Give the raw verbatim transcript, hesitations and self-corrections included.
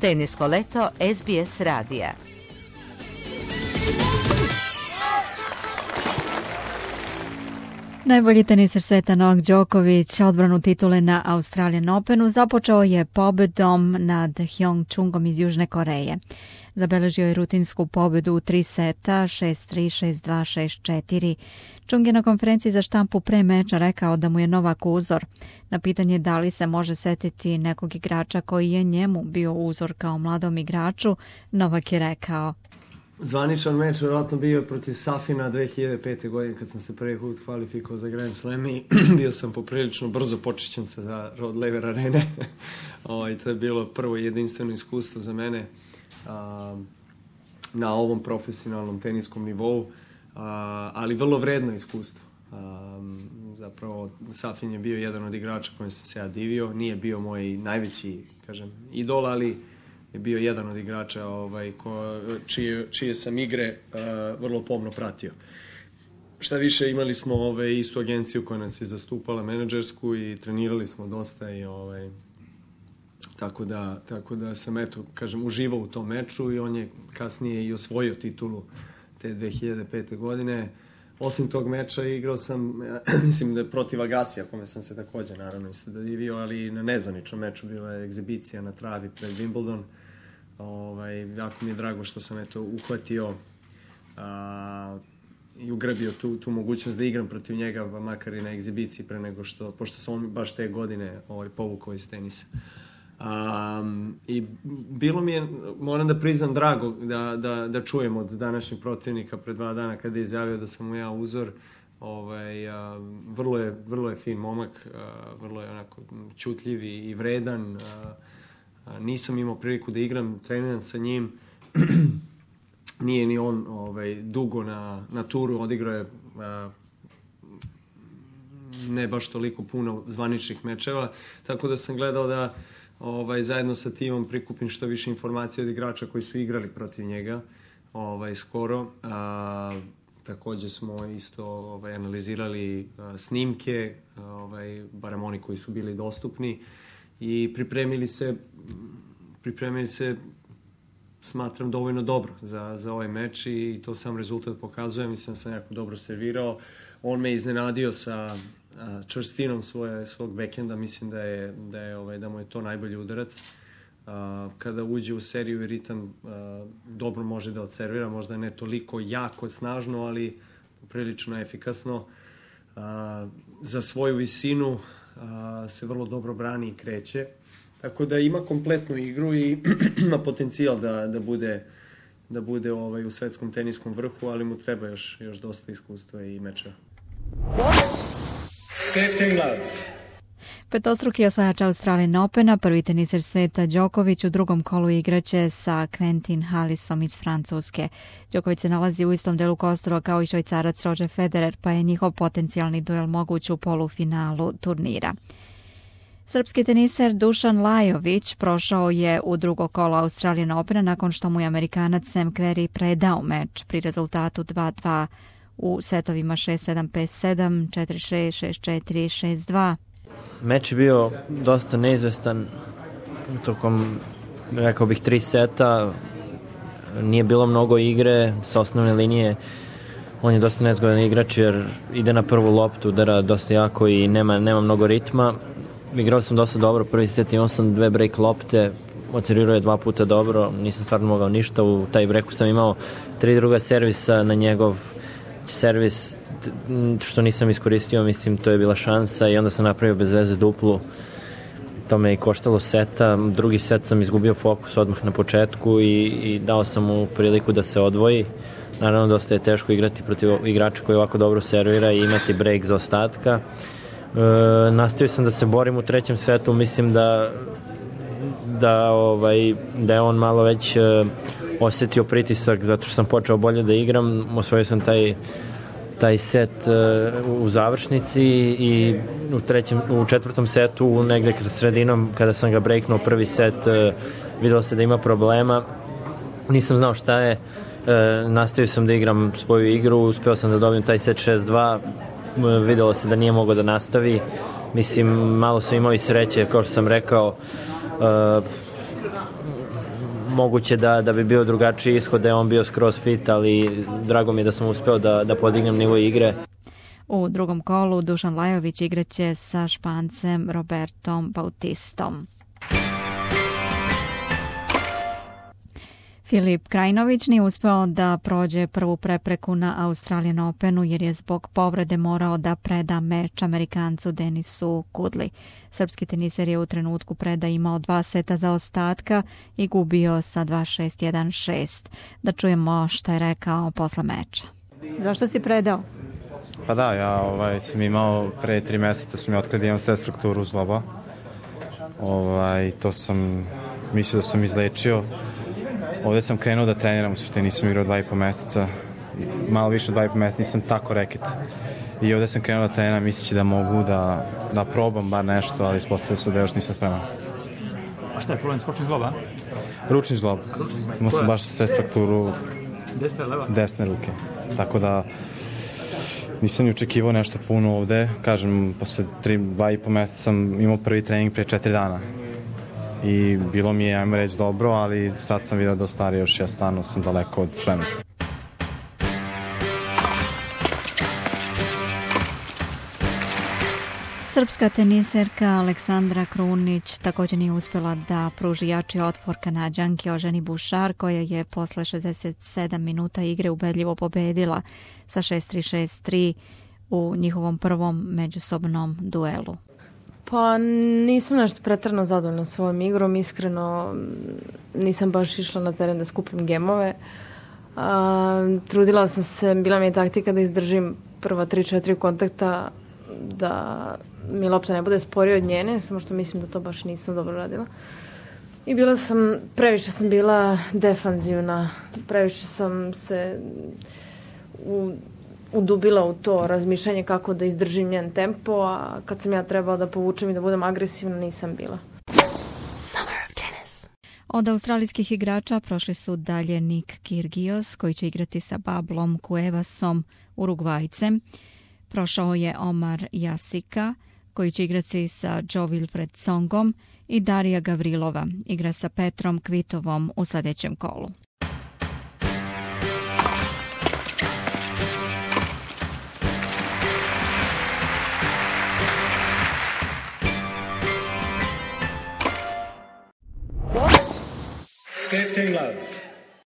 Tenisko leto S B S radija. Najbolji teniser sveta Novak Đoković odbranu titule na Australian Openu započeo je pobedom nad Hyung Chungom iz Južne Koreje. Zabeležio je rutinsku pobedu u tri seta, šest tri, šest dva, šest četiri. Chung je na konferenciji za štampu pre meča rekao da mu je Novak uzor. Na pitanje da li se može setiti nekog igrača koji je njemu bio uzor kao mladom igraču, Novak je rekao: Zvaničan meč vjerojatno bio protiv Safina dve hiljade pete. godine kad sam se prvi put kvalifikovao za Grand Slam i bio sam poprilično brzo počećen se za Rod Laver Arene. I to je bilo prvo jedinstveno iskustvo za mene a, na ovom profesionalnom teniskom nivou, a, ali vrlo vredno iskustvo. A, zapravo Safin je bio jedan od igrača kojem sam se ja divio. Nije bio moj najveći, kažem, idol, ali je bio jedan od igrača ovaj, ko, čije, čije sam igre uh, vrlo pomno pratio. Šta više, imali smo ovaj, istu agenciju koja nas je zastupala, menadžersku, i trenirali smo dosta i ovaj, tako da, tako da sam eto, kažem, uživao u tom meču i on je kasnije i osvojio titulu te dve hiljade pete. godine. Osim tog meča igrao sam, mislim da je protiv Agasija, kome sam se također naravno isto dodivio, ali na nezvaničnom meču bila je egzibicija na travi pred Wimbledon. Ovaj, jako mi je drago što sam eto uhvatio a, i ugrabio tu, tu mogućnost da igram protiv njega, pa makar i na egzibiciji pre nego što, pošto sam on baš te godine ovaj, povukao iz tenisa. Um, i bilo mi je, moram da priznam, drago da, da, da čujem od današnjeg protivnika pre dva dana kada je izjavio da sam mu ja uzor. Ovaj, a, vrlo, je, vrlo je fin momak, a, vrlo je onako ćutljiv i, i vredan. A, a, nisam imao priliku da igram, treniram sa njim. Nije ni on ovaj, dugo na, na turu, odigrao je a, ne baš toliko puno zvaničnih mečeva, tako da sam gledao da Ovaj, zajedno sa timom prikupim što više informacija od igrača koji su igrali protiv njega ovaj, skoro. A, također smo isto ovaj, analizirali a, snimke, ovaj, barem oni koji su bili dostupni, i pripremili se, pripremili se smatram dovoljno dobro za, za ovaj meč, i to sam rezultat pokazuje. Mislim da sam jako dobro servirao. On me iznenadio sa čvrstinom svoje, svog bekenda. Mislim da je, da je ovaj, da mu je to najbolji udarac. A, kada uđe u seriju i ritam, a, dobro može da odservira, možda ne toliko jako snažno, ali prilično efikasno. A, za svoju visinu a, se vrlo dobro brani i kreće. Tako da ima kompletnu igru i ima potencijal da, da bude, da bude ovaj, u svetskom teniskom vrhu, ali mu treba još, još dosta iskustva i meča. Petostruki osvajač Australian Opena, prvi teniser sveta Đoković u drugom kolu igraće sa Quentin Hallisom iz Francuske. Đoković se nalazi u istom delu kostura kao i Švajcarac Roger Federer, pa je njihov potencijalni duel moguć u polufinalu turnira. Srpski teniser Dušan Lajović prošao je u drugo kolo Australian Opena nakon što mu je Amerikanac Sam Querrey predao meč pri rezultatu dva dva u setovima šest sedam, pet sedam, četiri šest, šest četiri, šest dva. Meč je bio dosta neizvestan tokom, rekao bih, tri seta. Nije bilo mnogo igre sa osnovne linije. On je dosta nezgodan igrač jer ide na prvu loptu, udara dosta jako i nema, nema mnogo ritma. Igrao sam dosta dobro, prvi set imao sam dve break lopte, odservirao je dva puta dobro, nisam stvarno mogao ništa. U taj breaku sam imao tri druga servisa na njegov servis, što nisam iskoristio, mislim, to je bila šansa, i onda sam napravio bez veze duplu. To me i koštalo seta. Drugi set sam izgubio fokus odmah na početku i, i dao sam mu priliku da se odvoji. Naravno, dosta je teško igrati protiv igrača koji ovako dobro servira i imati break za ostatka. E, nastavio sam da se borim u trećem setu, mislim da da, ovaj, da je on malo već e, osjetio pritisak zato što sam počeo bolje da igram. Osvojio sam taj taj set uh, u završnici i u, trećem, u četvrtom setu, negde kroz sredinom, kada sam ga breaknuo prvi set, uh, videlo se da ima problema. Nisam znao šta je, uh, nastavio sam da igram svoju igru, uspeo sam da dobijem taj set šest dva, uh, videlo se da nije mogao da nastavi. Mislim, malo sam imao i sreće, kao što sam rekao, uh, moguće da, da bi bio drugačiji ishod, da je on bio skroz fit, ali drago mi je da sam uspeo da, da podignem nivo igre. U drugom kolu Dušan Lajović igraće sa Špancem Robertom Bautistom. Filip Krajinović nije uspeo da prođe prvu prepreku na Australian Openu jer je zbog povrede morao da preda meč Amerikancu Denisu Kudli. Srpski teniser je u trenutku preda imao dva seta za ostatka i gubio sa dva šest jedan šest. Da čujemo šta je rekao posle meča. Zašto si predao? Pa da, ja ovaj, sam imao pre tri meseca sam ja otkada da imam stres frakturu zgloba. Ovaj, to sam mislio da sam izlečio. Ovde sam krenuo da treniram, u suštini nisam igrao dva i po meseca, malo više od dva i po meseca, nisam tako reket. I ovde sam krenuo da treniram, misleći da mogu da, da probam bar nešto, ali ispostavio se da još nisam spreman. A šta je problem, skočni zglob, a? Ručni zglob. Imao sam baš stres frakturu desne, leva? Desne ruke. Tako da nisam ni očekivao nešto puno ovde. Kažem, posle tri, dva i po meseca sam imao prvi trening pre četiri dana. I bilo mi je, ajmo reći, dobro, ali sad sam vidio da ostari još, ja stvarno sam daleko od spremnosti. Srpska teniserka Aleksandra Krunić također nije uspjela da pruži jači otpor Kanađanki Oženi Bušar, koja je posle šezdeset sedam minuta igre ubedljivo pobedila sa šest tri šest tri u njihovom prvom međusobnom duelu. Pa nisam nešto pretrano zadovoljna svojom igrom, iskreno nisam baš išla na teren da skupim gemove. A, trudila sam se, bila mi je taktika da izdržim prva tri četiri kontakta, da mi lopta ne bude sporija od njene, samo što mislim da to baš nisam dobro radila. I bila sam, previše sam bila defanzivna, previše sam se u udubila u to razmišljanje kako da izdržim njen tempo, a kad sam ja trebala da povučem i da budem agresivna, nisam bila. Od australijskih igrača prošli su dalje Nick Kyrgios, koji će igrati sa Pablom Cuevasom, Urugvajcem. Prošao je Omar Jasika, koji će igrati sa Joe Wilfred Songom, i Darija Gavrilova igra sa Petrom Kvitovom u sljedećem kolu. fifteen love.